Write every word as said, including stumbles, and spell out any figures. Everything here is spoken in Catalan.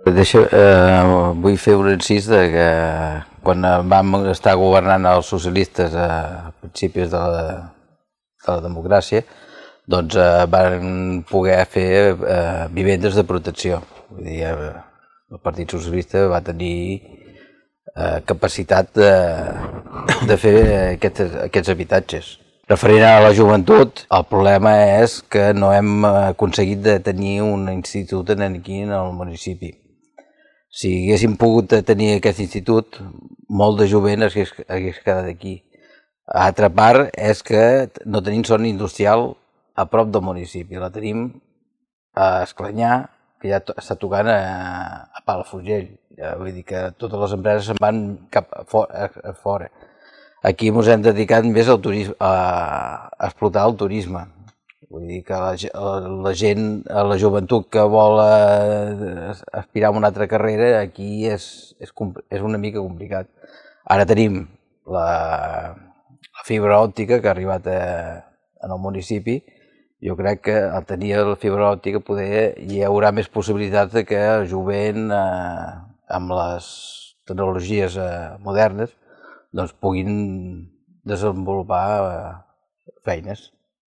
Deixa, eh, vull fer un incís de que quan vam estar governant els socialistes a principis de la, de la democràcia, doncs eh, van poder fer eh, vivendes de protecció. Vull dir, eh, el Partit Socialista va tenir eh, capacitat de, de fer aquests, aquests habitatges. Referent a la joventut, el problema és que no hem aconseguit de tenir un institut aquí en el municipi. Si haguéssim pogut tenir aquest institut, molt de jovent hagués, hagués quedat aquí. L'altra part és que no tenim zona industrial a prop del municipi. La tenim a Esclanyà, que ja està tocant a, a Palafrugell. Ja, vull dir que totes les empreses se'n van cap a fora. A fora. Aquí ens hem dedicat més al turisme, a, a explotar el turisme. Vull dir que la, la gent, la joventut que vol aspirar a una altra carrera, aquí és, és, és una mica complicat. Ara tenim la, la fibra òptica que ha arribat a, en el municipi. Jo crec que al tenir la fibra òptica poder, hi haurà més possibilitats de que el jovent, eh, amb les tecnologies eh, modernes, doncs puguin desenvolupar eh, feines.